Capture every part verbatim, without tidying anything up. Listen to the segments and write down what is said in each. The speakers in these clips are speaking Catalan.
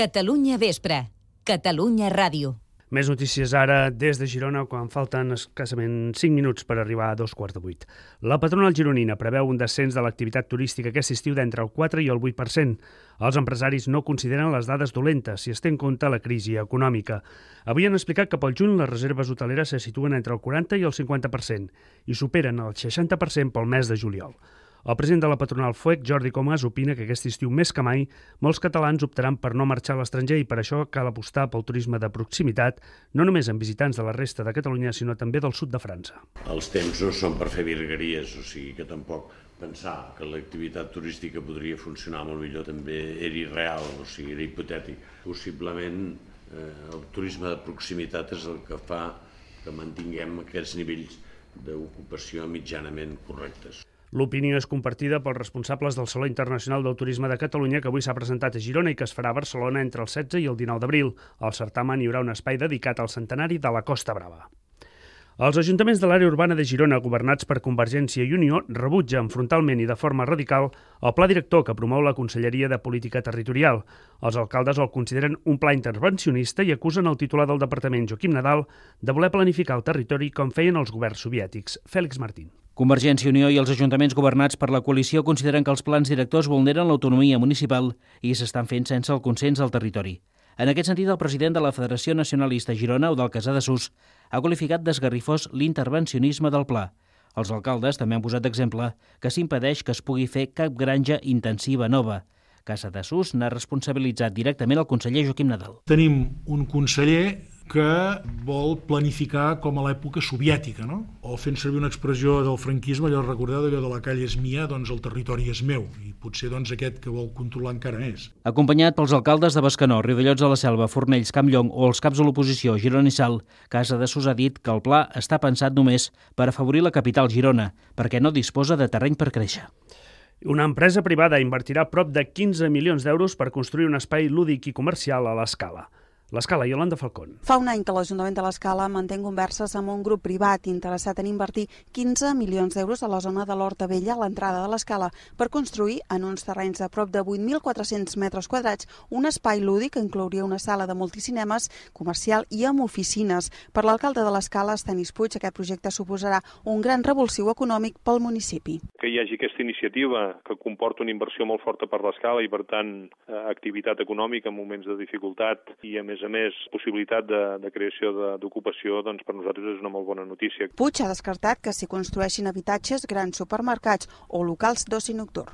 Catalunya Vespre, Catalunya Ràdio. Més notícies ara des de Girona, quan falten escassament cinc minuts per arribar a dos quarts de vuit. La patronal gironina preveu un descens de l'activitat turística aquest estiu d'entre el quatre i el vuit per cent. Els empresaris no consideren les dades dolentes si es té en compte la crisi econòmica. Avui han explicat que pel juny les reserves hoteleres se situen entre el quaranta i el cinquanta per cent i superen el seixanta per cent pel mes de juliol. El president de la patronal F U E C, Jordi Comas, opina que aquest estiu més que mai molts catalans optaran per no marxar a l'estranger i per això cal apostar pel turisme de proximitat, no només amb visitants de la resta de Catalunya, sinó també del sud de França. Els temps no són per fer virgueries, o sigui que tampoc pensar que l'activitat turística podria funcionar molt millor també era irreal, o sigui, era hipotètic. Possiblement eh, el turisme de proximitat és el que fa que mantinguem aquests nivells d'ocupació mitjanament correctes. L'opinió és compartida pels responsables del Saló Internacional del Turisme de Catalunya, que avui s'ha presentat a Girona i que es farà a Barcelona entre el setze i el dinou d'abril. Al certamen hi haurà un espai dedicat al centenari de la Costa Brava. Els ajuntaments de l'àrea urbana de Girona, governats per Convergència i Unió, rebutgen frontalment i de forma radical el pla director que promou la Conselleria de Política Territorial. Els alcaldes el consideren un pla intervencionista i acusen el titular del departament, Joaquim Nadal, de voler planificar el territori com feien els governs soviètics. Fèlix Martín. Convergència i Unió i els ajuntaments governats per la coalició consideren que els plans directors vulneren l'autonomia municipal i s'estan fent sense el consens del territori. En aquest sentit, el president de la Federació Nacionalista Girona, Eudald Casadesús, ha qualificat d'esgarrifós l'intervencionisme del pla. Els alcaldes també han posat d'exemple que s'impedeix que es pugui fer cap granja intensiva nova. Casadesús n'ha responsabilitzat directament el conseller Joaquim Nadal. Tenim un conseller que vol planificar com a l'època soviètica, no? O fent servir una expressió del franquisme, allò recordeu d'allò de la calle és mia, doncs el territori és meu, i potser doncs aquest que vol controlar encara més. Acompanyat pels alcaldes de Bescanó, Riudellots de la Selva, Fornells, Campllong o els caps de l'oposició, Girona i Salt, Casadesús ha dit que el pla està pensat només per afavorir la capital Girona, perquè no disposa de terreny per créixer. Una empresa privada invertirà prop de quinze milions d'euros per construir un espai lúdic i comercial a l'Escala. L'Escala, Iolanda Falcón. Fa un any que l'Ajuntament de l'Escala manté converses amb un grup privat interessat en invertir quinze milions d'euros a la zona de l'Horta Vella, a l'entrada de l'Escala, per construir en uns terrenys de prop de vuit mil quatre-cents metres quadrats un espai lúdic que inclouria una sala de multicinemes, comercial i amb oficines. Per l'alcalde de l'Escala, Estenis Puig, aquest projecte suposarà un gran revulsiu econòmic pel municipi. Que hi hagi aquesta iniciativa que comporta una inversió molt forta per l'Escala i, per tant, activitat econòmica en moments de dificultat i, a més a més, possibilitat de, de creació d'ocupació, doncs per nosaltres és una molt bona notícia. Puig ha descartat que s'hi construeixin habitatges, grans supermercats o locals d'oci nocturn.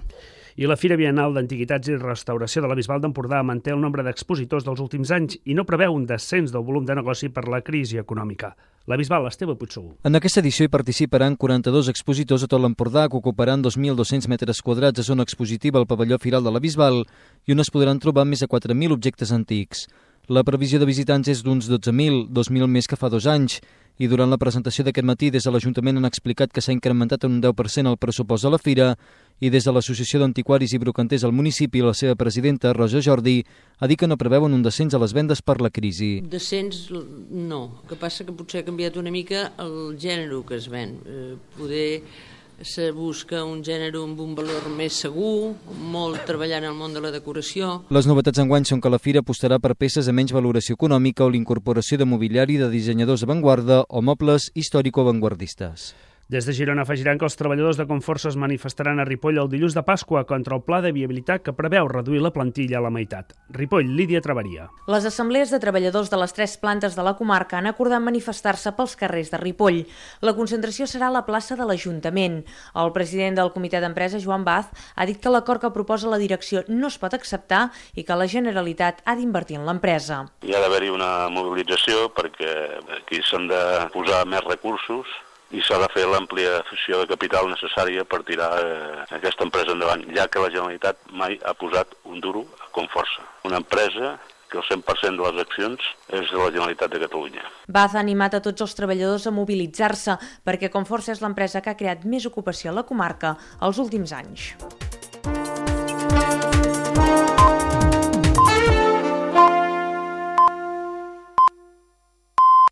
I la Fira Biennal d'Antiguitats i Restauració de la Bisbal d'Empordà manté el nombre d'expositors dels últims anys i no preveu un descens del volum de negoci per la crisi econòmica. La Bisbal, Esteve Puigsegur. En aquesta edició hi participaran quaranta-dos expositors a tot l'Empordà que ocuparan dos mil dos-cents metres quadrats a zona expositiva al pavelló Firal de la Bisbal i on es podran trobar més de quatre mil objectes antics. La previsió de visitants és d'uns dotze mil, dos mil més que fa dos anys, i durant la presentació d'aquest matí des de l'Ajuntament han explicat que s'ha incrementat en un deu per cent el pressupost de la fira i des de l'Associació d'Antiquaris i Brocanters al municipi, la seva presidenta, Rosa Jordi, ha dit que no preveuen un descens a les vendes per la crisi. Descens no, el que passa que potser ha canviat una mica el gènere que es ven. Eh, poder se busca un gènere amb un valor més segur, molt treballant en el món de la decoració. Les novetats enguany són que la fira apostarà per peces amb menys valoració econòmica o l'incorporació de mobiliari de dissenyadors d'avantguarda o mobles històrico-avantguardistes. Des de Girona afegiran que els treballadors de Conforça es manifestaran a Ripoll el dilluns de Pasqua contra el pla de viabilitat que preveu reduir la plantilla a la meitat. Ripoll, Lídia Travaria. Les assemblees de treballadors de les tres plantes de la comarca han acordat manifestar-se pels carrers de Ripoll. La concentració serà a la plaça de l'Ajuntament. El president del comitè d'empresa, Joan Baz, ha dit que l'acord que proposa la direcció no es pot acceptar i que la Generalitat ha d'invertir en l'empresa. Hi ha d'haver-hi una mobilització perquè aquí s'han de posar més recursos i s'ha de fer l'ampliació de capital necessària per tirar eh, aquesta empresa endavant, ja que la Generalitat mai ha posat un duro a Conforça. Una empresa que el cent per cent de les accions és de la Generalitat de Catalunya. Baz ha animat a tots els treballadors a mobilitzar-se perquè Conforça és l'empresa que ha creat més ocupació a la comarca els últims anys.